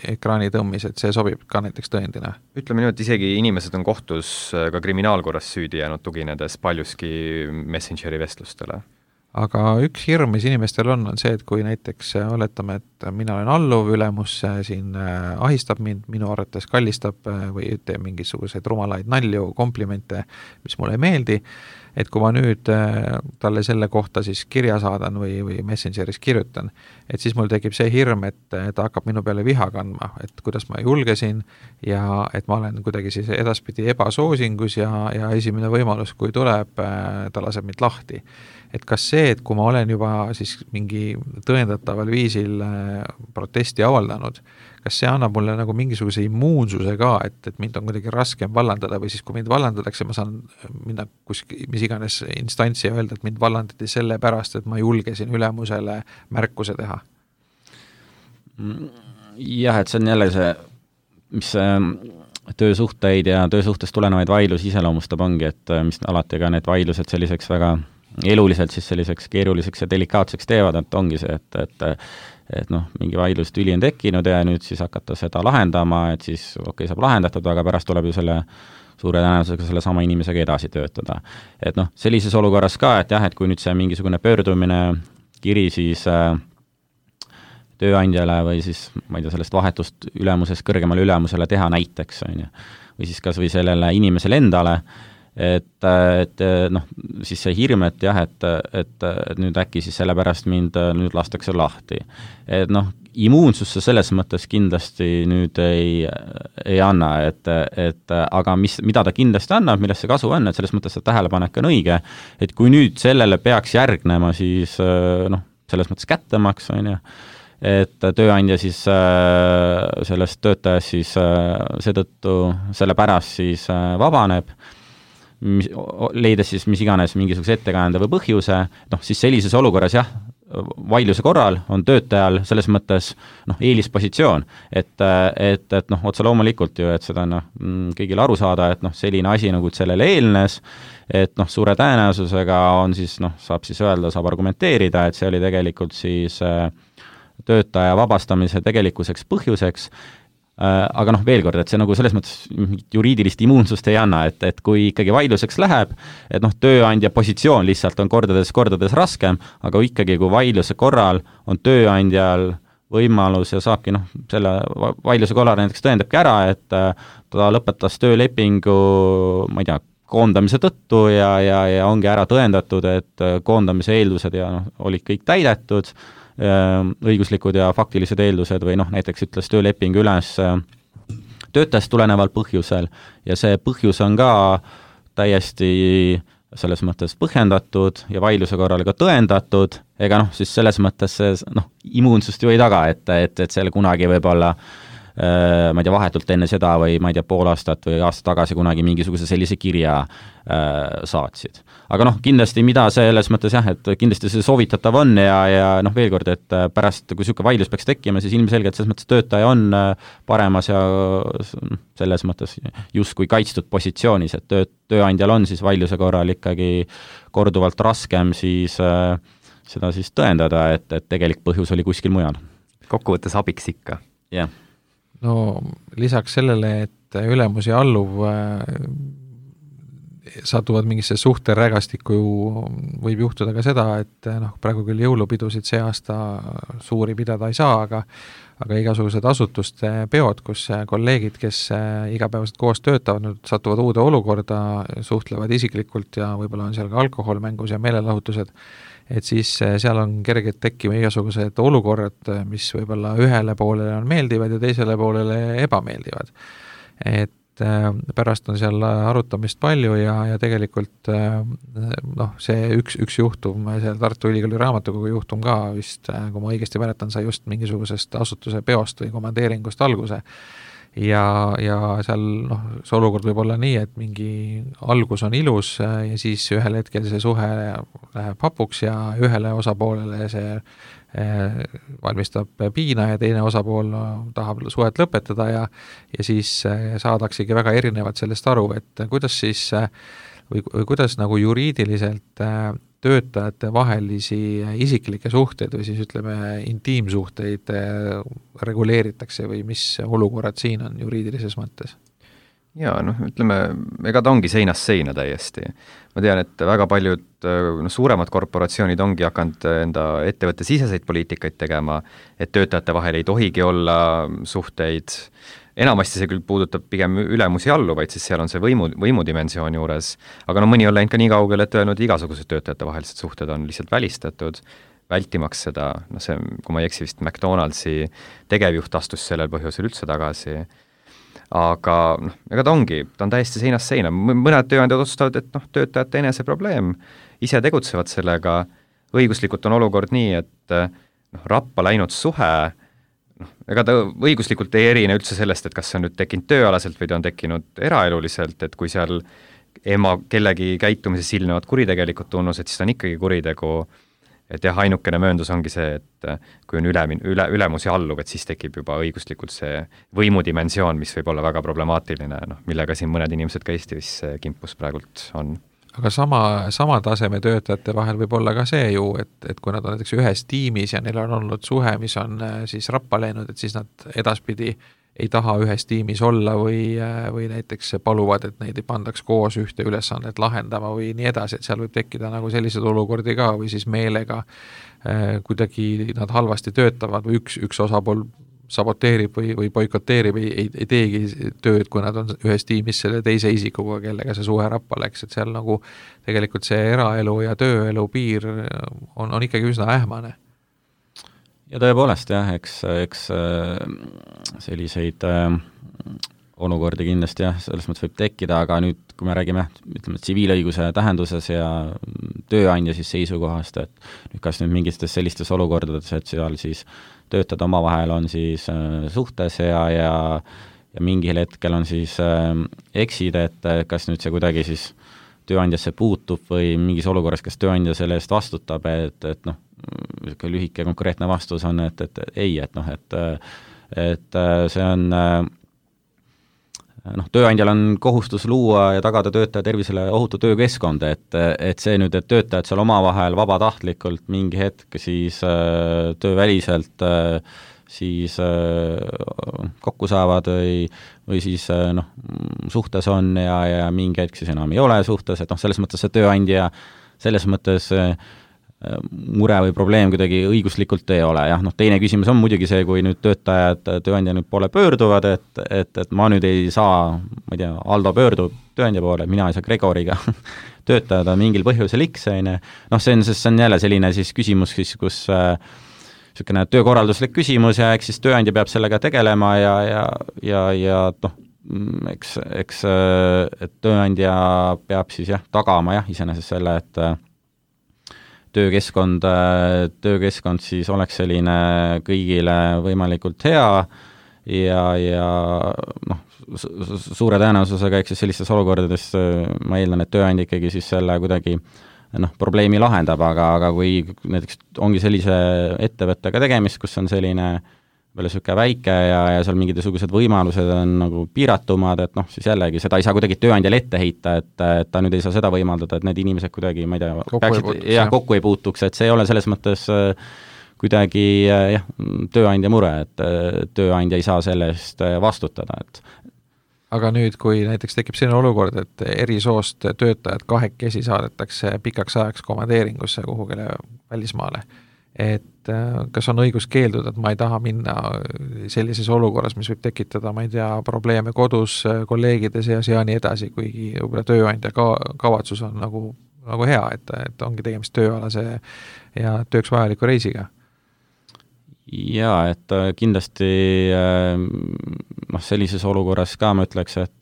ekraani tõmmis, et see sobib ka näiteks tõendina. Ütleme nii, et isegi inimesed on kohtus ka kriminaalkorras süüdi jäänud tuginedes paljuski Messengeri vestlustele. Aga üks hirm, mis inimestel on see, et kui näiteks oletame, et mina olen alluv, ülemus siin ahistab mind, minu arvates kallistab või teeb mingisuguseid rumalaid nalju, komplimente, mis mulle ei meeldi, et kui ma nüüd talle selle kohta siis kirja saadan või Messengeris kirjutan, et siis mul tekib see hirm, et ta hakkab minu peale viha kandma, et kuidas ma julgesin ja et ma olen kuidagi siis edaspidi ebasoosingus ja esimene võimalus, kui tuleb, ta laseb mind lahti. Et kas see, et kui ma olen juba siis mingi tõendataval viisil protesti avaldanud, kas see annab mulle nagu mingisuguse immuunsuse ka, et mind on kuidagi raskem vallandada või siis kui mind vallandatakse, ma saan minna mis iganes instantsi ja öelda, et mind vallandati selle pärast, et ma julgesin ülemusele märkuse teha? Jah, et see on jälle see, mis töösuhteid ja töösuhtest tulenevaid vaidlusi iseloomustab ongi, et mis alati ka need vaidlused selliseks väga eluliselt siis selliseks keeruliseks ja delikaatseks teevad, et ongi see, et mingi vaidlus tüli on tekkinud ja nüüd siis hakata seda lahendama, et siis saab lahendatud, aga pärast tuleb ju selle suure tõenäosusega selle sama inimesega edasi töötada. Et sellises olukorras ka, et jah, et kui nüüd see mingisugune pöördumine kiri siis tööandjale või siis, ma ei tea, sellest vahetust ülemusest kõrgemale ülemusele teha näiteks, või siis kas või sellele inimesele endale, et siis see hirm, et jah, et nüüd äkki siis sellepärast mind nüüd lastakse lahti. Et immuunsusse selles mõttes kindlasti nüüd ei anna, et aga mida ta kindlasti annab, millest see kasu on, et selles mõttes see tähelepanek on õige, et kui nüüd sellele peaks järgnema siis selles mõttes kättemaks, et tööandja siis sellest töötajast siis seetõttu selle pärast siis vabaneb, leides siis mis iganes mingisuguse ettekäändeva või põhjuse, siis sellises olukorras jah, vaidluse korral on töötajal selles mõttes eelispositsioon, et otse loomulikult ju, et seda kõigile aru saada, et selline asi nagu sellele eelnes, et suure tõenäosusega on siis saab siis öelda, saab argumenteerida, et see oli tegelikult siis töötaja vabastamise tegelikkuseks põhjuseks, aga veel kord, et see nagu selles mõttes juriidilist immuunsust ei anna, et kui ikkagi vaidluseks läheb, et tööandja positsioon lihtsalt on kordades raskem, aga ikkagi kui vaidluse korral on tööandjal võimalus ja saabki selle vaidluse korral näiteks tõendabki ära, et ta lõpetas töölepingu, ma ei tea, koondamise tõttu ja ongi ära tõendatud, et koondamise eeldused ja olid kõik täidetud, õiguslikud ja faktilised eeldused või näiteks ütles tööleping üles töötajast tuleneval põhjusel ja see põhjus on ka täiesti selles mõttes põhjendatud ja vaidluse korral ka tõendatud, ega siis selles mõttes see immuunsust ju ei taga, et selle kunagi võib-olla ma ei tea, vahetult enne seda või ma ei tea, pool aastat või aasta tagasi kunagi mingisuguse sellise kirja saatsid. Aga kindlasti mida selles mõttes et kindlasti see soovitatav on ja veel kord, et pärast, kui niisugune vaidlus peaks tekkima, siis ilmselgelt selles mõttes töötaja on paremas ja selles mõttes justkui kaitstud positsioonis, et tööandjal on siis vaidluse korral ikkagi korduvalt raskem siis seda siis tõendada, et tegelik põhjus oli kuskil mujal. Kokkuvõttes abiks ikka. Jah. No lisaks sellele, et ülemus ja alluv satuvad mingisse suhterägastikku, võib juhtuda ka seda, et praegu küll jõulupidusid see aasta suuri pidada ei saa, aga igasugused asutuste peod, kus kolleegid, kes igapäevaselt koos töötavad, nüüd satuvad uude olukorda, suhtlevad isiklikult ja võib-olla on seal ka alkohol mängus ja meelelahutused, et siis seal on kergelt tekkima igasugused olukorrad, mis võib-olla ühele poolele on meeldivad ja teisele poolele ebameeldivad. Et pärast on seal arutamist palju ja tegelikult see üks juhtum, seal Tartu Ülikooli raamatukogu juhtum ka vist, kui ma õigesti mäletan, sai just mingisugusest asutuse peost või komandeeringust alguse. Ja seal see olukord võib olla nii, et mingi algus on ilus ja siis ühel hetkel see suhe läheb hapuks ja ühele osapoolele see valmistab piina ja teine osapool tahab suhet lõpetada ja siis saadaksegi väga erinevad sellest aru, et kuidas siis või kuidas nagu juriidiliselt töötajate vahelisi isiklikke suhteid või siis ütleme intiimsuhteid reguleeritakse või mis olukorrad siin on juriidilises mõttes? Jaa, ütleme, ega ta ongi seinast seina täiesti. Ma tean, et väga paljud suuremad korporatsioonid ongi hakanud enda ettevõtte siseseid poliitikaid tegema, et töötajate vahel ei tohigi olla suhteid. Enamasti see küll puudutab pigem ülemusi alluvaid, siis seal on see võimudimensioon juures, aga mõni on läinud ka nii kaugele, et öelnud, igasugused töötajate vahelised suhted on lihtsalt välistatud, vältimaks seda, see, kui ma ei eksi, vist McDonaldsi tegevjuht astus sellel põhjusel üldse tagasi, aga ega ta on täiesti seinast seina, mõned tööandjad otsustavad, et töötajate enese probleem, ise tegutsevad sellega, õiguslikult on olukord nii, et rappa läinud suhe, ega ta õiguslikult ei erine üldse sellest, et kas see on nüüd tekkinud tööalaselt või ta on tekkinud eraeluliselt, et kui seal kellegi käitumises ilmnevad kuritegelikud tunnused, siis ta on ikkagi kuritegu, et jah, ainukene mööndus ongi see, et kui on ülemus ja alluv, et siis tekib juba õiguslikult see võimudimensioon, mis võib olla väga problemaatiline, millega siin mõned inimesed ka Eestis kimpus praegult on. Aga sama taseme töötajate vahel võib olla ka see ju, et kui nad on näiteks ühes tiimis ja neil on olnud suhe, mis on siis rappa läinud, et siis nad edaspidi ei taha ühes tiimis olla või näiteks paluvad, et neid ei pandaks koos ühte ülesannet lahendama või nii edasi, et seal võib tekkida nagu sellised olukordi ka või siis meelega kuidagi nad halvasti töötavad või üks osapool saboteerib või boikoteerib, ei teegi tööd, kui nad on ühes tiimis selle teise isikuga, kellega see suhe rappa läks, et seal nagu tegelikult see eraelu ja tööelu piir on ikkagi üsna ähmane. Ja tõepoolest jah, eks selliseid olukordi kindlasti jah, selles mõttes võib tekkida, aga nüüd, kui me räägime, ütleme, tsiviilõiguse tähenduses ja tööandja siis seisukohast, et nüüd kas nüüd mingites sellistes olukordades, et seal siis töötajad omavahel on siis suhtes ja mingil hetkel on siis eksid, et kas nüüd see kuidagi siis tööandjasse puutub või mingis olukorras, kas tööandja selle eest vastutab, et lühike konkreetne vastus on, et ei, et see on tööandjal on kohustus luua ja tagada töötaja tervisele ohutu töökeskkond, et see nüüd, et töötajad seal omavahel vabatahtlikult mingi hetk siis tööväliselt siis kokku saavad või siis suhtes on ja mingi hetk siis enam ei ole suhtes, et selles mõttes see tööandja selles mõttes mure või probleem kuidagi õiguslikult ei ole, jah, teine küsimus on muidugi see, kui nüüd tööandja nüüd poole pöörduvad, et ma nüüd ei saa, ma ei tea, Aldo pöördub tööandja poole, mina ei saa Gregoriga töötada mingil põhjusel X, see on jälle selline siis küsimus siis, kus niisugune töökorralduslik küsimus ja eks siis tööandja peab sellega tegelema ja eks et tööandja peab siis tagama iseenesest selle, et töökeskkond siis oleks selline kõigile võimalikult hea ja suure tõenäosusega eks siis sellistes olukordades ma eeldan, et tööandja ikkagi siis selle kuidagi probleemi lahendab, aga kui näiteks ongi sellise ettevõttega tegemist, kus on selline veel niisugune väike ja seal mingisugused võimalused on nagu piiratumad, et siis jällegi seda ei saa kuidagi tööandjale ette heita, et ta nüüd ei saa seda võimaldada, et need inimesed kuidagi, ma ei tea, kokku ei puutuks, et see ei ole selles mõttes kuidagi tööandja mure, et tööandja ei saa selle eest vastutada, et aga nüüd, kui näiteks tekib selline olukord, et eri soost töötajad kahekesi saadetakse pikaks ajaks komandeeringusse kuhugile välismaale, et kas on õigus keelduda, et ma ei taha minna sellises olukorras, mis võib tekitada, ma ei tea, probleeme kodus, kolleegide seas ja nii edasi, kuigi võib-olla tööandja kavatsus on nagu hea, et ongi tegemist tööalase ja tööks vajaliku reisiga? Jaa, et kindlasti sellises olukorras ka ma ütleks, et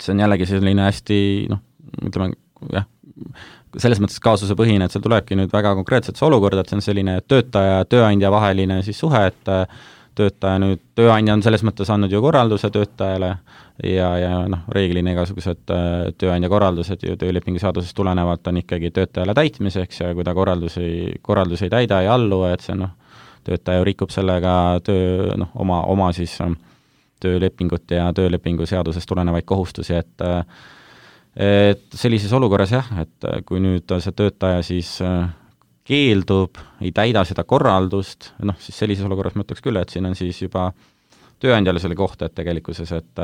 see on jällegi selline hästi, ütleme, selles mõttes kaasusepõhine, et seal tulebki nüüd väga konkreetselt see olukord, et see on selline töötaja ja tööandja vaheline siis suhe, et tööandja on selles mõttes andnud ju korralduse töötajale ja reeglina igasugused tööandja korraldused ju töölepingu seadusest tulenevalt on ikkagi töötajale täitmiseks ja kui ta korraldusi ei täida ja allu, et see töötaja rikub sellega oma siis töölepingut ja töölepingu seadusest tulenevaid kohustusi, et sellises olukorras et kui nüüd see töötaja siis keeldub, ei täida seda korraldust, siis sellises olukorras ma ütleks küll, et siin on siis juba tööandjale selle kohta, et tegelikkuses, et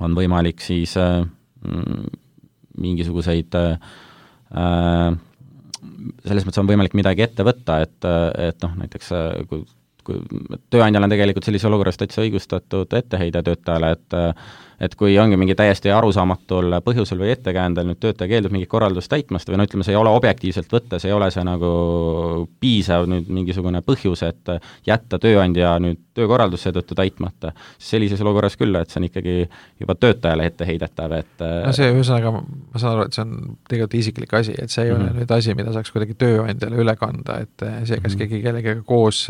on võimalik siis mingisuguseid selles mõttes on võimalik midagi ette võtta, et näiteks kui tööandjal on tegelikult sellises olukorras täitsa õigustatud etteheide töötajale, et kui ongi mingi täiesti arusaamatul põhjusel või ettekäändel nüüd töötaja keeldub mingit korraldust täitmast või ütleme, see ei ole objektiivselt võttes, ei ole see nagu piisav nüüd mingisugune põhjus, et jätta tööandja nüüd töökorraldus seetõttu täitmata, siis sellises olukorras küll, et see on ikkagi juba töötajale etteheidetav, et see ühesõnaga, ma saan aru, et see on tegelikult isiklik asi, et see ei ole nüüd asi, mida saaks kuidagi tööandjale üle kanda, et see, kas keegi kellegagi koos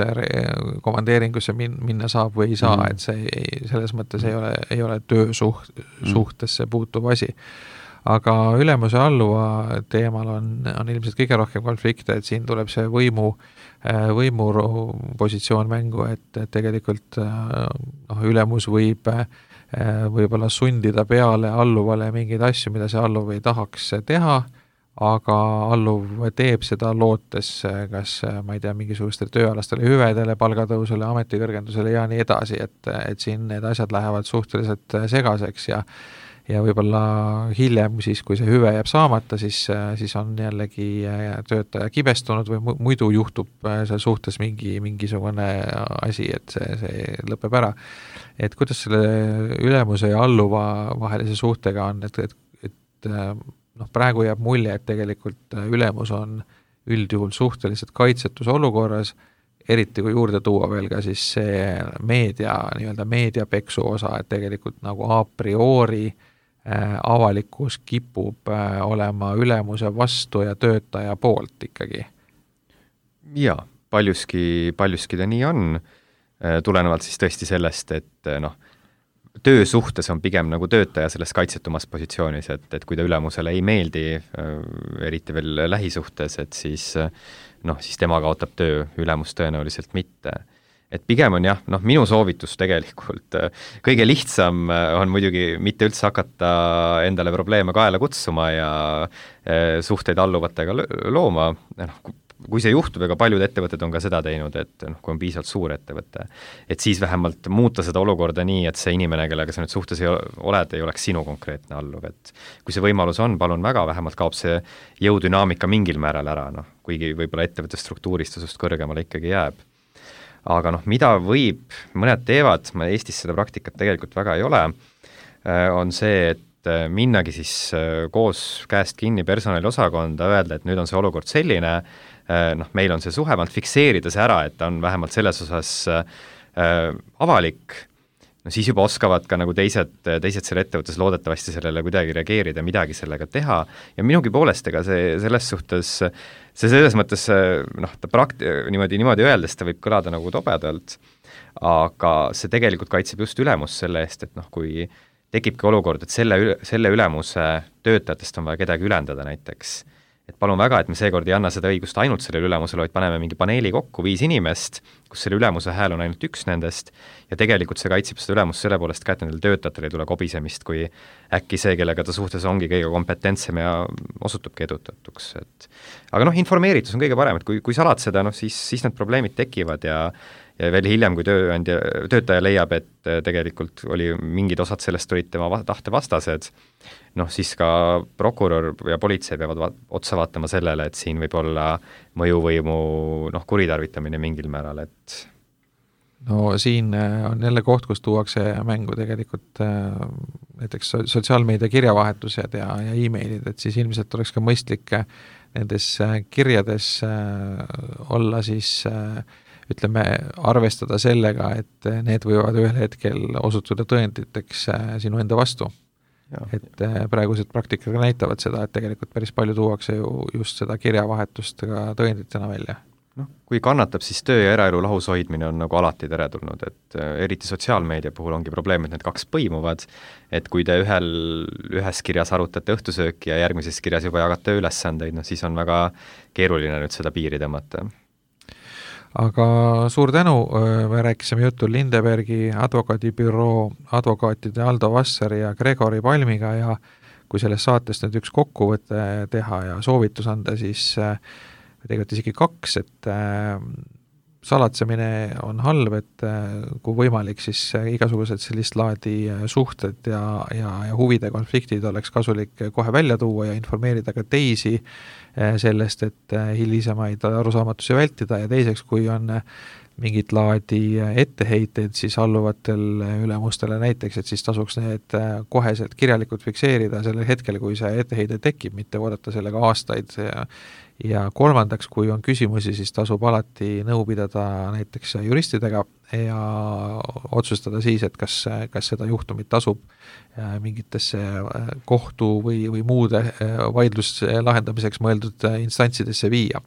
komandeeringusse minna saab või ei saa, et see selles mõttes ei ole töösuhtesse puutuv asi. Aga ülemuse alluva teemal on ilmselt kõige rohkem konflikte, et siin tuleb see võimupositsioon mängu, et tegelikult ülemus võib-olla sundida peale alluvale mingeid asju, mida see alluv ei tahaks teha, aga alluv teeb seda lootes, kas ma ei tea, mingisugustele tööalastele hüvedele, palgatõusule, ametikõrgendusele ja nii edasi, et siin need asjad lähevad suhteliselt segaseks ja võib-olla hiljem, siis kui see hüve jääb saamata, siis on jällegi töötaja kibestunud või muidu juhtub seal suhtes mingisugune asi, et see lõpeb ära. Et kuidas selle ülemuse ja alluva vahelise suhtega on, et praegu jääb mulje, et tegelikult ülemus on üldjuhul suhteliselt kaitsetus olukorras, eriti kui juurde tuua veel ka siis see meediapeksu osa, et tegelikult nagu a priori avalikkus kipub olema ülemuse vastu ja töötaja poolt ikkagi. Jaa, paljuski ta nii on, tulenevalt siis tõesti sellest, et töösuhtes on pigem nagu töötaja selles kaitsetumas positsioonis, et kui ta ülemusele ei meeldi, eriti veel lähisuhtes, et siis tema kaotab töö, ülemus tõenäoliselt mitte. Et pigem on minu soovitus tegelikult, kõige lihtsam on muidugi mitte üldse hakata endale probleeme kaela kutsuma ja suhteid alluvatega looma, kui see juhtub, ega paljud ettevõtted on ka seda teinud, et kui on piisavalt suur ettevõte, et siis vähemalt muuta seda olukorda nii, et see inimene, kellega sa nüüd suhtes oled, ei oleks sinu konkreetne alluv, et kui see võimalus on, palun väga, vähemalt kaob see jõudünaamika mingil määral ära, kuigi võib-olla ettevõtte struktuurist tasust kõrgemale ikkagi jääb. Aga mida mõned teevad, Eestis seda praktikat tegelikult väga ei ole, on see, et minnagi siis koos käest kinni personaliosakonda, öelda, et nüüd on see olukord selline, meil on see suhe, fikseerida see ära, et ta on vähemalt selles osas avalik, siis juba oskavad ka nagu teised selle ettevõttes loodetavasti sellele kuidagi reageerida, midagi sellega teha ja minugi poolest, ega see selles suhtes, see selles mõttes, niimoodi öeldes ta võib kõlada nagu tobedalt, aga see tegelikult kaitseb just ülemust selle eest, et kui tekibki olukord, et selle ülemuse töötajatest on vaja kedagi ülendada näiteks. Et palun väga, et me seekord ei anna seda õigust ainult sellele ülemusele, vaid paneme mingi paneeli kokku 5 inimest, kus selle ülemuse hääl on ainult üks nendest ja tegelikult see kaitseb seda ülemust selle poolest ka, et nendel töötajatel ei tule kobisemist, kui äkki see, kellega ta suhtes ongi kõige kompetentsem ja osutubki edutatuks. Aga informeeritus on kõige parem, et kui salad seda, siis need probleemid tekivad ja veel hiljem, kui töötaja leiab, et tegelikult oli mingid osad sellest olid tema tahte vastased, siis ka prokurör ja politsei peavad otsa vaatama sellele, et siin võib olla mõjuvõimu kuritarvitamine mingil määral, et siin on jälle koht, kus tuuakse mängu tegelikult näiteks sotsiaalmeedia kirjavahetused ja e-mailid, et siis ilmselt oleks ka mõistlik nendes kirjades olla siis arvestada sellega, et need võivad ühel hetkel osutuda tõenditeks sinu enda vastu. Ja. Et praegused praktikad näitavad seda, et tegelikult päris palju tuuakse ju just seda kirjavahetust ka tõenditena välja. Kui kannatab, siis töö ja eraelu lahus hoidmine on nagu alati teretulnud, et eriti sotsiaalmeedia puhul ongi probleem, et need kaks põimuvad, et kui te ühes kirjas arutate õhtusööki ja järgmises kirjas juba jagate ülesandeid, siis on väga keeruline nüüd seda piiri tõmmata. Aga suur tänu, me rääkisime juttu Lindebergi advokaadibüroo advokaatide Aldo Vassari ja Gregori Palmiga ja kui selles saates nüüd üks kokkuvõte teha ja soovitus anda, siis tegelikult isegi 2, et salatsemine on halb, et kui võimalik, siis igasugused sellist laadi suhted ja huvide konfliktid oleks kasulik kohe välja tuua ja informeerida ka teisi sellest, et hilisemaid arusaamatusi vältida ja teiseks, kui on mingit laadi etteheiteid siis alluvatel ülemustele näiteks, et siis tasuks need koheselt kirjalikult fikseerida sellel hetkel, kui see etteheide tekib, mitte oodata sellega aastaid ja kolmandaks, kui on küsimusi, siis tasub alati nõu pidada näiteks juristidega ja otsustada siis, et kas seda juhtumit tasub mingitesse kohtu või muude vaidluse lahendamiseks mõeldud instantsidesse viia.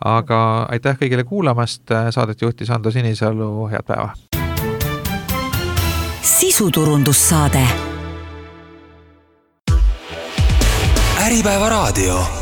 Aga aitäh kõigile kuulamast, saadet juhtis Ando Sinisalu, head päeva! Sisuturundussaade. Äripäeva raadio.